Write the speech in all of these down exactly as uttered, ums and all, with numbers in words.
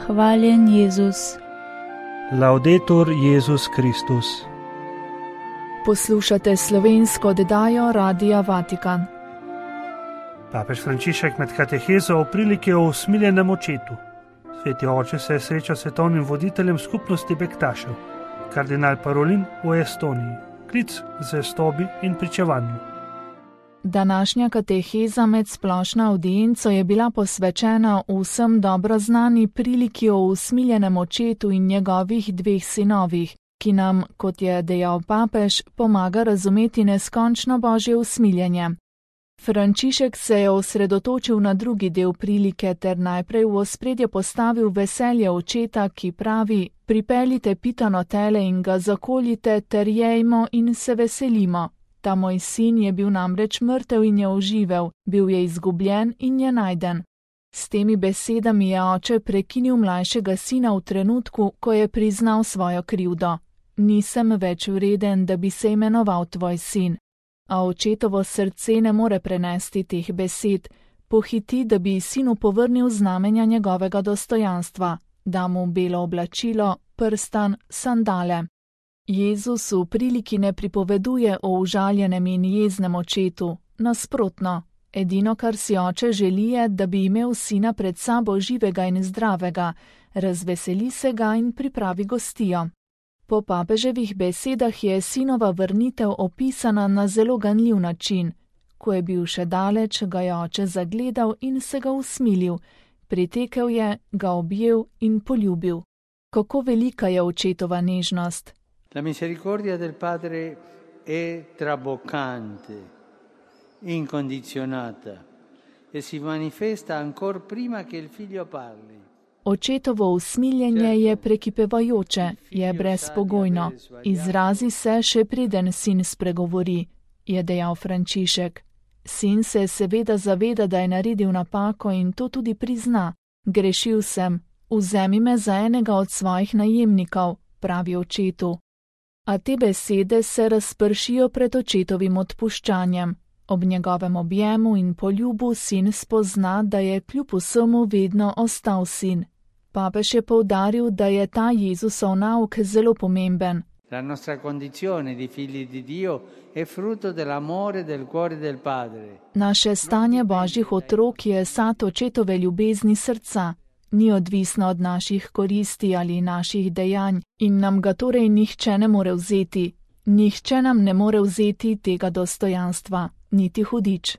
Hvaljen Jezus. Laudetur Jezus Kristus. Poslušate slovensko oddajo Radia Vatikan. Papež Frančišek med katehezo o priliki o usmiljenem očetu. Sveti oče se je srečal s svetovnim voditeljem skupnosti Bektašev, kardinal Parolin v Estoniji. Klic z zvestobi in pričevanju. Današnja kateheza med splošno audienco je bila posvečena vsem dobro znani priliki o usmiljenem očetu in njegovih dveh sinovih, ki nam, kot je dejal papež, pomaga razumeti neskončno Božje usmiljenje. Frančišek se je osredotočil na drugi del prilike ter najprej v ospredje postavil veselje očeta, ki pravi: pripeljite pitano tele in ga zakoljite ter jejmo in se veselimo. Ta moj sin je bil namreč mrtev in je oživel, bil je izgubljen in je najden. S temi besedami je oče prekinil mlajšega sina v trenutku, ko je priznal svojo krivdo. Nisem več vreden, da bi se imenoval tvoj sin. A očetovo srce ne more prenesti teh besed, pohiti, da bi sinu povrnil znamenja njegovega dostojanstva, da mu belo oblačilo, prstan, sandale. Jezus v priliki ne pripoveduje o užaljenem in jeznem očetu, nasprotno, edino, kar si oče želi, je, da bi imel sina pred sabo živega in zdravega, razveseli se ga in pripravi gostijo. Po papeževih besedah je sinova vrnitev opisana na zelo ganljiv način. Ko je bil še daleč, ga je oče zagledal in se ga usmilil, pritekel je, ga objel in poljubil. Kako velika je očetova nežnost! La misericordia del Padre è traboccante, incondizionata e si manifesta ancor prima che il figlio parli. Očetovo usmiljenje je prekipevajoče, je brezpogojno, izrazi se še preden sin spregovori, je dejal Frančišek. Sin se seveda zaveda, da je naredil napako in to tudi prizna. Grešil sem, vzemi me za enega od svojih najemnikov, pravi očetu. A te besede se razpršijo pred očetovim odpuščanjem. Ob njegovem objemu in poljubu sin spozna, da je kljub vsemu vedno ostal sin. Papež je poudaril, da je ta Jezusov nauk zelo pomemben. La nostra condizione di figli di Dio è frutto dell'amore del cuore del Padre. Naše stanje Božjih otrok je sad očetove ljubezni srca. Ni odvisno od naših koristi ali naših dejanj in nam ga torej nihče ne more vzeti. Nihče nam ne more vzeti tega dostojanstva, niti hudič.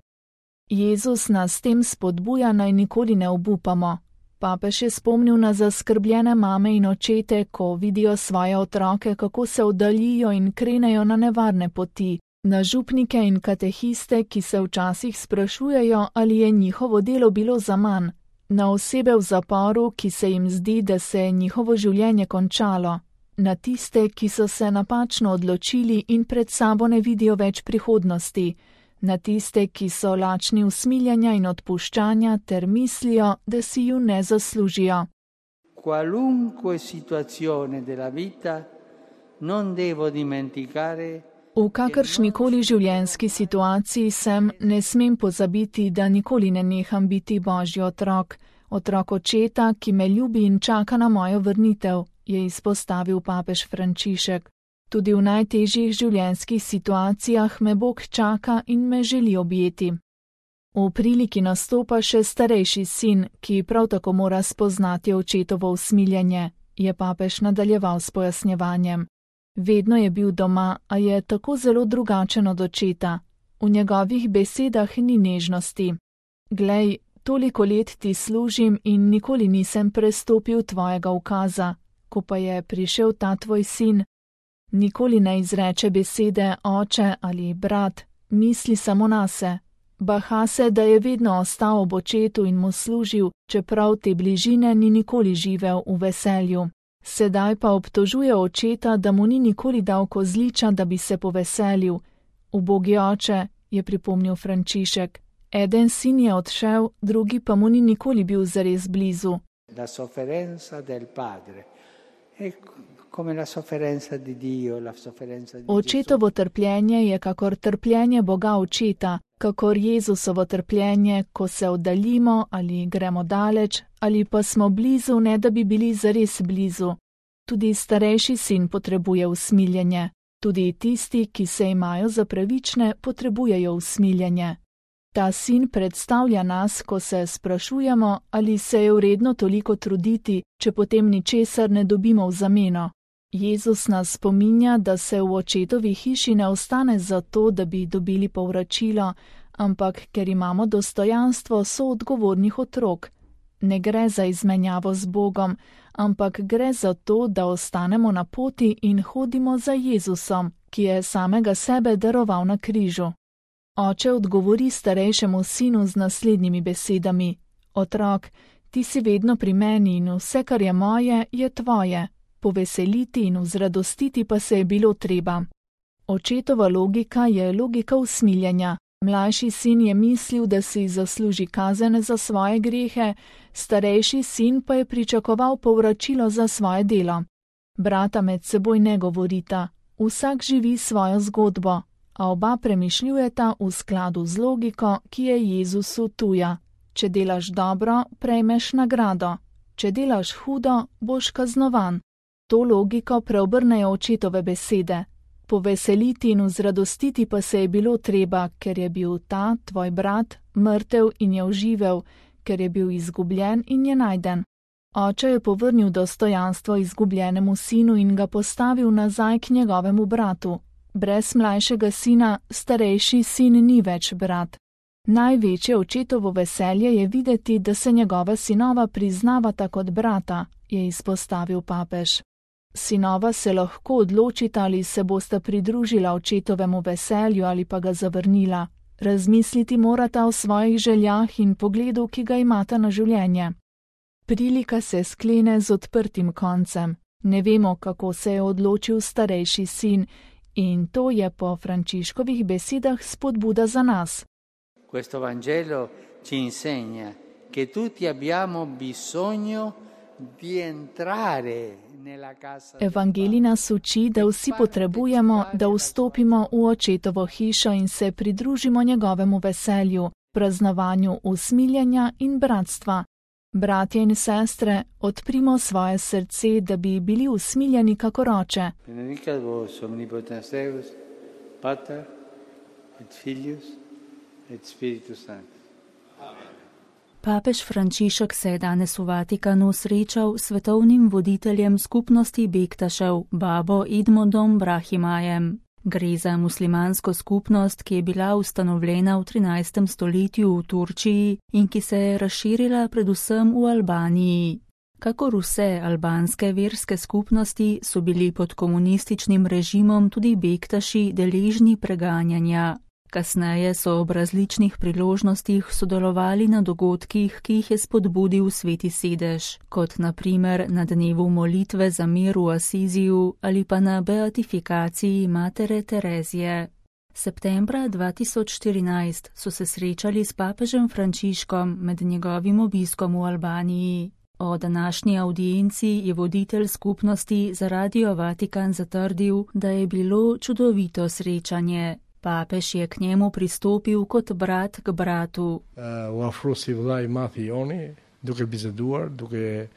Jezus nas s tem spodbuja, naj nikoli ne obupamo. Papež je spomnil na zaskrbljene mame in očete, ko vidijo svoje otroke, kako se oddaljijo in krenejo na nevarne poti, na župnike in katehiste, ki se včasih sprašujejo, ali je njihovo delo bilo zaman, na osebe v zaporu, ki se jim zdi, da se je njihovo življenje končalo, na tiste, ki so se napačno odločili in pred sabo ne vidijo več prihodnosti, na tiste, ki so lačni usmiljenja in odpuščanja ter mislijo, da si ju ne zaslužijo. Qualunque situazione della vita non devo dimenticare. V kakršnikoli življenjski situaciji sem, ne smem pozabiti, da nikoli ne neham biti Božji otrok, otrok očeta, ki me ljubi in čaka na mojo vrnitev, je izpostavil papež Frančišek. Tudi v najtežjih življenjskih situacijah me Bog čaka in me želi objeti. V priliki nastopa še starejši sin, ki prav tako mora spoznati očetovo usmiljenje, je papež nadaljeval s pojasnjevanjem. Vedno je bil doma, a je tako zelo drugačen od očeta. V njegovih besedah ni nežnosti. Glej, toliko let ti služim in nikoli nisem prestopil tvojega ukaza, ko pa je prišel ta tvoj sin. Nikoli ne izreče besede oče ali brat, misli samo nase. Baha se, da je vedno ostal ob očetu in mu služil, čeprav te bližine ni nikoli živel v veselju. Sedaj pa obtožuje očeta, da mu ni nikoli dal kozliča, da bi se poveselil. Ubogi oče, je pripomnil Frančišek. Eden sin je odšel, drugi pa mu ni nikoli bil zares blizu. La sofferenza del padre è come la sofferenza di Dio, la sofferenza di Očetovo trpljenje je kakor trpljenje Boga očeta, kakor Jezusovo trpljenje, ko se oddaljimo ali gremo daleč, ali pa smo blizu, ne da bi bili zares blizu. Tudi starejši sin potrebuje usmiljenje. Tudi tisti, ki se imajo za pravične, potrebujejo usmiljenje. Ta sin predstavlja nas, ko se sprašujemo, ali se je vredno toliko truditi, če potem ničesar ne dobimo v zameno. Jezus nas spominja, da se v očetovi hiši ne ostane zato, da bi dobili povračilo, ampak ker imamo dostojanstvo soodgovornih otrok. Ne gre za izmenjavo z Bogom, ampak gre za to, da ostanemo na poti in hodimo za Jezusom, ki je samega sebe daroval na križu. Oče odgovori starejšemu sinu z naslednjimi besedami: Otrok, ti si vedno pri meni in vse, kar je moje, je tvoje. Poveseliti in vzradostiti pa se je bilo treba. Očetova logika je logika usmiljenja. Mlajši sin je mislil, da si zasluži kazen za svoje grehe, starejši sin pa je pričakoval povračilo za svoje delo. Brata med seboj ne govorita, vsak živi svojo zgodbo, a oba premišljujeta v skladu z logiko, ki je Jezusu tuja. Če delaš dobro, prejmeš nagrado, če delaš hudo, boš kaznovan. To logiko preobrnejo očetove besede. Poveseliti in vzradostiti pa se je bilo treba, ker je bil ta, tvoj brat, mrtev in je oživel, ker je bil izgubljen in je najden. Oče je povrnil dostojanstvo izgubljenemu sinu in ga postavil nazaj k njegovemu bratu. Brez mlajšega sina starejši sin ni več brat. Največje očetovo veselje je videti, da se njegova sinova priznavata kot brata, je izpostavil papež. Sinova se lahko odločita, ali se bosta pridružila očetovemu veselju ali pa ga zavrnila. Razmisliti morata o svojih željah in pogledu, ki ga imata na življenje. Prilika se sklene z odprtim koncem. Ne vemo, kako se je odločil starejši sin, in to je po Frančiškovih besedah spodbuda za nas. Questo Vangelo ci insegna che tutti abbiamo bisogno di entrare nella casa. Evangelij nas uči, da vsi potrebujemo, da vstopimo v očetovo hišo in se pridružimo njegovemu veselju, praznovanju usmiljenja in bratstva. Bratje in sestre, odprimo svoje srce, da bi bili usmiljeni kakor oče. Benedicat vos omnipotens Deus, Pater et Filius et Spiritus Sanctus. Papež Frančišek se je danes v Vatikanu srečal s svetovnim voditeljem skupnosti Bektašev, babo Edmondom Brahimajem. Gre za muslimansko skupnost, ki je bila ustanovljena v trinajstem stoletju v Turčiji in ki se je razširila predvsem v Albaniji. Kakor vse albanske verske skupnosti so bili pod komunističnim režimom tudi Bektaši deležni preganjanja. Kasneje so ob različnih priložnostih sodelovali na dogodkih, ki jih je spodbudil Sveti sedež, kot na primer na dnevu molitve za mir v Asiziju ali pa na beatifikaciji matere Terezije. Septembra dva tisoč štirinajst so se srečali s papežem Frančiškom med njegovim obiskom v Albaniji. O današnji audienci je voditelj skupnosti za Radio Vatikan zatrdil, da je bilo čudovito srečanje. Papež je k njemu pristopil kot brat k bratu. U afrosi vllai mathi joni, duke biseduar, duke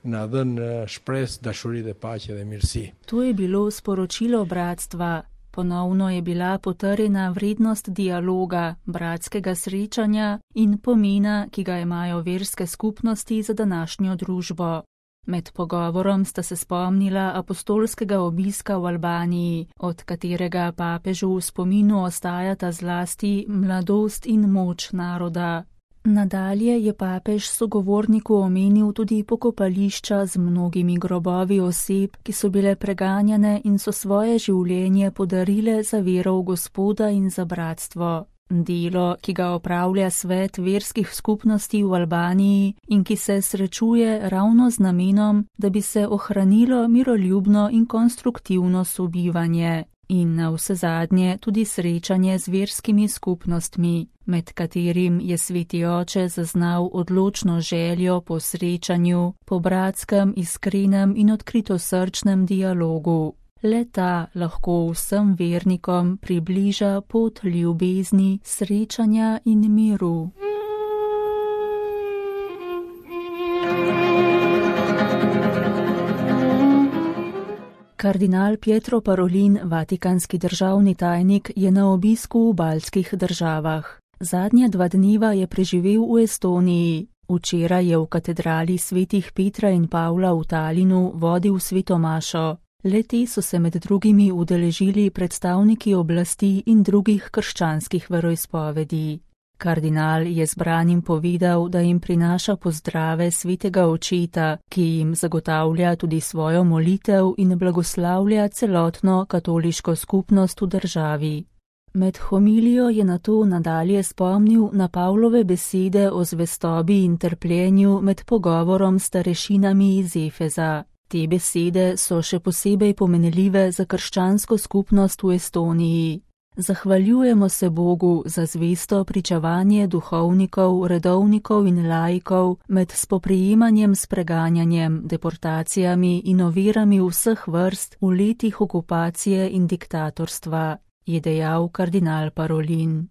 na dhënë shpresë, dashuri dhe paqe dhe mirësi. To je bilo sporočilo bratstva. Ponovno je bila potrjena vrednost dialoga, bratskega srečanja in pomena, ki ga imajo verske skupnosti za današnjo družbo. Med pogovorom sta se spomnila apostolskega obiska v Albaniji, od katerega papežu v spominu ostajata zlasti mladost in moč naroda. Nadalje je papež sogovorniku omenil tudi pokopališča z mnogimi grobovi oseb, ki so bile preganjane in so svoje življenje podarile za vero v Gospoda in za bratstvo. Delo, ki ga opravlja svet verskih skupnosti v Albaniji in ki se srečuje ravno z namenom, da bi se ohranilo miroljubno in konstruktivno sobivanje. In na vsezadnje tudi srečanje z verskimi skupnostmi, med katerim je Sveti Oče zaznal odločno željo po srečanju, po bratskem, iskrenem in odkritosrčnem dialogu. Le ta lahko vsem vernikom približa pot ljubezni, srečanja in miru. Kardinal Pietro Parolin, vatikanski državni tajnik, je na obisku v baltskih državah. Zadnja dva dneva je preživel v Estoniji. Včeraj je v katedrali svetih Petra in Pavla v Talinu vodil sveto mašo. Le-te so se med drugimi udeležili predstavniki oblasti in drugih krščanskih veroizpovedi. Kardinal je zbranim povedal, da jim prinaša pozdrave svetega očeta, ki jim zagotavlja tudi svojo molitev in blagoslavlja celotno katoliško skupnost v državi. Med homilijo je nato nadalje spomnil na Pavlove besede o zvestobi in trpljenju med pogovorom s starešinami iz Efeza. Te besede so še posebej pomenljive za krščansko skupnost v Estoniji. Zahvaljujemo se Bogu za zvesto pričevanje duhovnikov, redovnikov in laikov med spoprijemanjem s preganjanjem, deportacijami in ovirami vseh vrst v letih okupacije in diktatorstva, je dejal kardinal Parolin.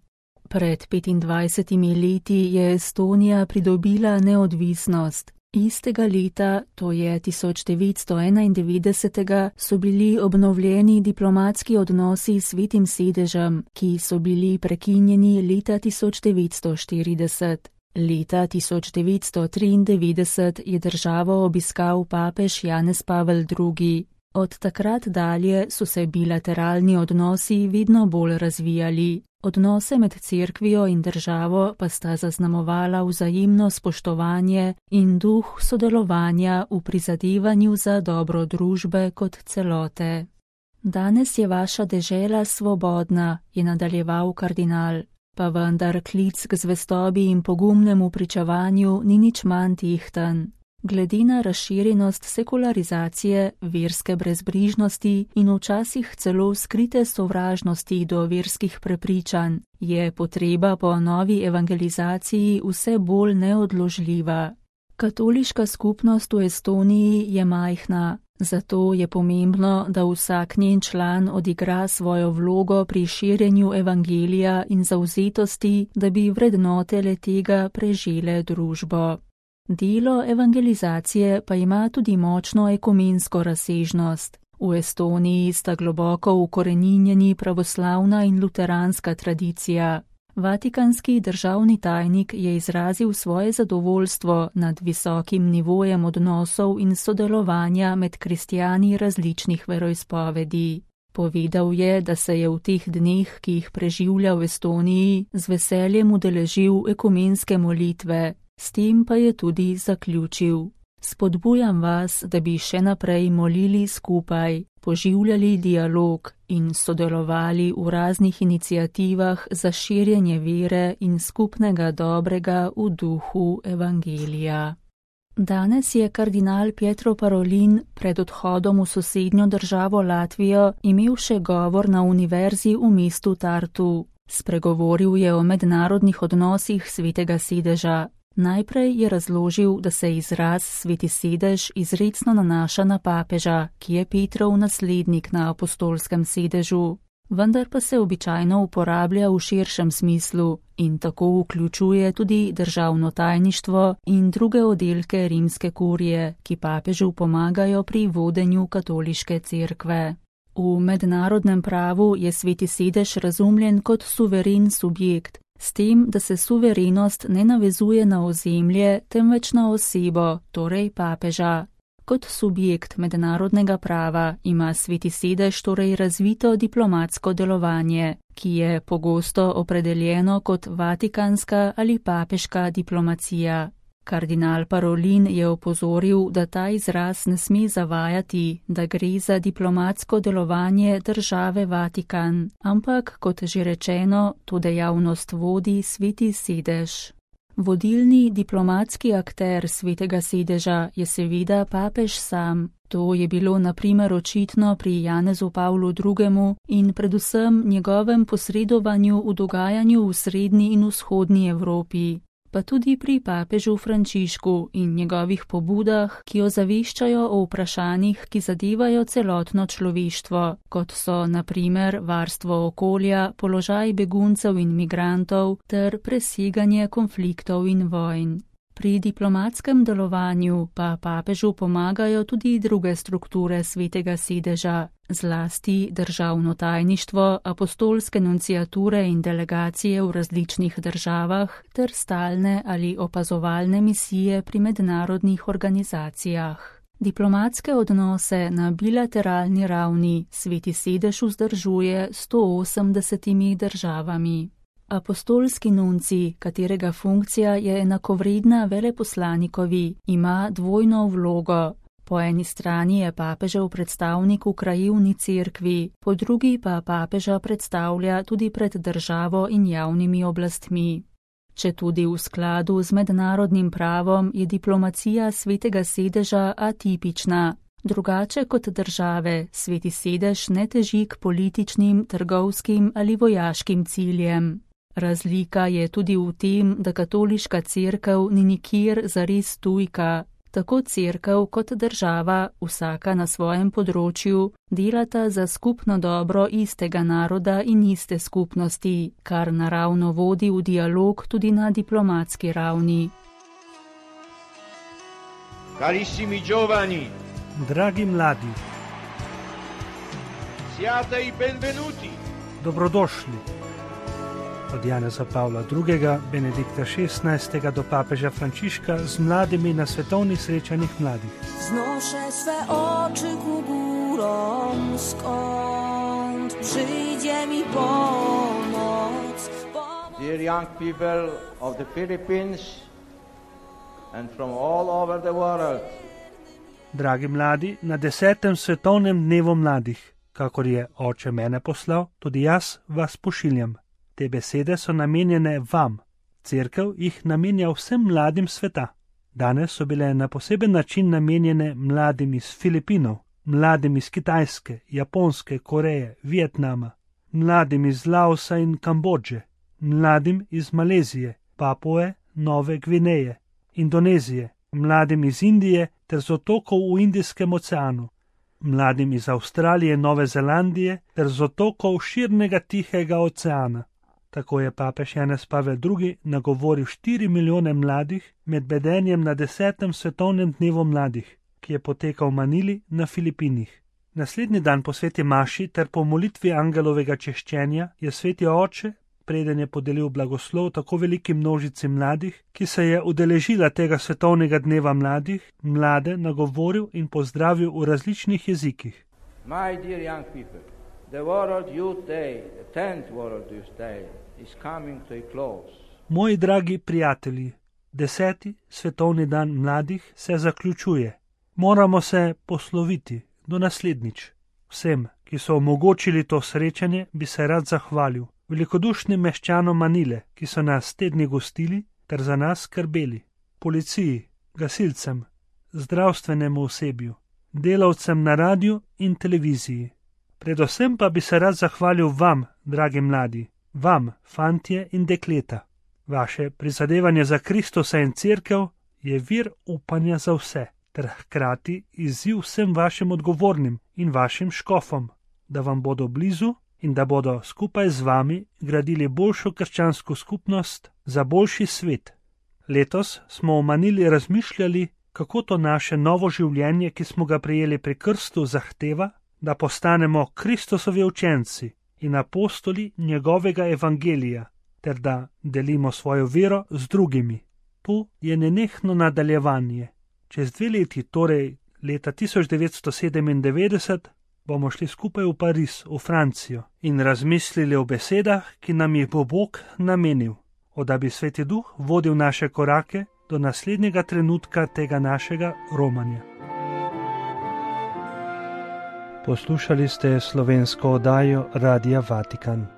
Pred petindvajsetimi leti je Estonija pridobila neodvisnost. Istega leta, to je tisoč devetsto enaindevetdesetega, so bili obnovljeni diplomatski odnosi s Svetim sedežem, ki so bili prekinjeni leta tisoč devetsto štirideset. Leta tisoč devetsto triindevetdeset je državo obiskal papež Janez Pavel drugi. Od takrat dalje so se bilateralni odnosi vedno bolj razvijali. Odnose med cerkvijo in državo pa sta zaznamovala vzajemno spoštovanje in duh sodelovanja v prizadevanju za dobro družbe kot celote. Danes je vaša dežela svobodna, je nadaljeval kardinal, pa vendar klic k zvestobi in pogumnemu pričevanju ni nič manj tehten. Glede na razširjenost sekularizacije, verske brezbrižnosti in včasih celo skrite sovražnosti do verskih prepričanj, je potreba po novi evangelizaciji vse bolj neodložljiva. Katoliška skupnost v Estoniji je majhna, zato je pomembno, da vsak njen član odigra svojo vlogo pri širjenju evangelija in zavzetosti, da bi vrednote le-tega prežele družbo. Delo evangelizacije pa ima tudi močno ekumensko razsežnost. V Estoniji sta globoko ukoreninjeni pravoslavna in luteranska tradicija. Vatikanski državni tajnik je izrazil svoje zadovoljstvo nad visokim nivojem odnosov in sodelovanja med kristjani različnih veroizpovedi. Povedal je, da se je v teh dneh, ki jih preživlja v Estoniji, z veseljem udeležil ekumenske molitve. S tem pa je tudi zaključil: spodbujam vas, da bi še naprej molili skupaj, poživljali dialog in sodelovali v raznih iniciativah za širjenje vere in skupnega dobrega v duhu evangelija. Danes je kardinal Pietro Parolin pred odhodom v sosednjo državo Latvijo imel še govor na univerzi v mestu Tartu. Spregovoril je o mednarodnih odnosih Svetega sedeža. Najprej je razložil, da se izraz Sveti sedež izrecno nanaša na papeža, ki je Petrov naslednik na apostolskem sedežu, vendar pa se običajno uporablja v širšem smislu in tako vključuje tudi državno tajništvo in druge oddelke rimske kurije, ki papežu pomagajo pri vodenju katoliške cerkve. V mednarodnem pravu je Sveti sedež razumljen kot suveren subjekt, s tem, da se suverenost ne navezuje na ozemlje, temveč na osebo, torej papeža. Kot subjekt mednarodnega prava ima Sveti sedež torej razvito diplomatsko delovanje, ki je pogosto opredeljeno kot vatikanska ali papeška diplomacija. Kardinal Parolin je opozoril, da ta izraz ne sme zavajati, da gre za diplomatsko delovanje države Vatikan, ampak, kot že rečeno, to dejavnost vodi Sveti sedež. Vodilni diplomatski akter Svetega sedeža je seveda papež sam. To je bilo na primer očitno pri Janezu Pavlu drugemu in predvsem njegovem posredovanju v dogajanju v srednji in vzhodni Evropi. pa tudi pri papežu Frančišku in njegovih pobudah, ki ozaveščajo o vprašanjih, ki zadevajo celotno človeštvo, kot so na primer varstvo okolja, položaj beguncev in migrantov ter preseganje konfliktov in vojn. Pri diplomatskem delovanju pa papežu pomagajo tudi druge strukture Svetega sedeža, zlasti državno tajništvo, apostolske nunciature in delegacije v različnih državah ter stalne ali opazovalne misije pri mednarodnih organizacijah. Diplomatske odnose na bilateralni ravni Sveti sedež vzdržuje s sto osemdesetimi državami. Apostolski nunci, katerega funkcija je enakovredna veleposlanikovi, ima dvojno vlogo. Po eni strani je papežev predstavnik v krajevni cerkvi, po drugi pa papeža predstavlja tudi pred državo in javnimi oblastmi. Četudi v skladu z mednarodnim pravom je diplomacija Svetega sedeža atipična. Drugače kot države, Sveti sedež ne teži k političnim, trgovskim ali vojaškim ciljem. Razlika je tudi v tem, da katoliška cerkev ni nikjer zares tujka. Tako cerkev kot država, vsaka na svojem področju, delata za skupno dobro istega naroda in iste skupnosti, kar naravno vodi v dialog tudi na diplomatski ravni. Carissimi giovani, dragi mladi, siate i benvenuti. Dobrodošli. Od Janeza Pavla drugega, Benedikta šestnajstega do papeža Frančiška z mladimi na svetovnih srečanjih mladih. Znoszę swe oczy ku górom, skąd przyjdzie mi pomoc. Dear young people of the Philippines and from all over the world. Dragi mladi, na desetem svetovnem dnevu mladih, kakor je oče mene poslal, tudi jaz vas pošiljam. Te besede so namenjene vam. Cerkev jih namenja vsem mladim sveta. Danes so bile na poseben način namenjene mladim iz Filipinov, mladim iz Kitajske, Japonske, Koreje, Vietnama, mladim iz Laosa in Kambodže, mladim iz Malezije, Papue, Nove Gvineje, Indonezije, mladim iz Indije ter z otokov v Indijskem oceanu, mladim iz Avstralije, Nove Zelandije ter z otokov širnega Tihega oceana. Tako je papež Janez Pavel drugi nagovoril štiri milijone mladih med bedenjem na desetem svetovnem dnevu mladih, ki je potekal v Manili na Filipinih. Naslednji dan po sveti maši ter po molitvi angelovega češčenja je sveti oče, preden je podelil blagoslov tako veliki množici mladih, ki se je udeležila tega svetovnega dneva mladih, mlade nagovoril in pozdravil v različnih jezikih. My dear young people, the World Youth Day, the tenth World Youth Day, is coming to a close. Moji dragi prijatelji, deseti svetovni dan mladih se zaključuje. Moramo se posloviti do naslednjič. Vsem, ki so omogočili to srečanje, bi se rad zahvalil. Velikodušnim meščanom Manile, ki so nas tedni gostili ter za nas skrbeli. Policiji, gasilcem, zdravstvenemu osebju, delavcem na radiju in televiziji. Predvsem pa bi se rad zahvalil vam, dragi mladi, vam, fantje in dekleta. Vaše prizadevanje za Kristusa in cerkev je vir upanja za vse, ter hkrati izziv vsem vašim odgovornim in vašim škofom, da vam bodo blizu in da bodo skupaj z vami gradili boljšo krščansko skupnost za boljši svet. Letos smo v Manili razmišljali, kako to naše novo življenje, ki smo ga prejeli pri krstu, zahteva, da postanemo Kristusovi učenci in apostoli njegovega evangelija, ter da delimo svojo vero z drugimi. Tu je nenehno nadaljevanje. Čez dve leti, torej leta tisoč devetsto sedemindevetdeset, bomo šli skupaj v Pariz, v Francijo, in razmislili o besedah, ki nam jih bo Bog namenil, da bi Sveti Duh vodil naše korake do naslednjega trenutka tega našega romanja. Poslušali ste slovensko oddajo Radia Vatikan.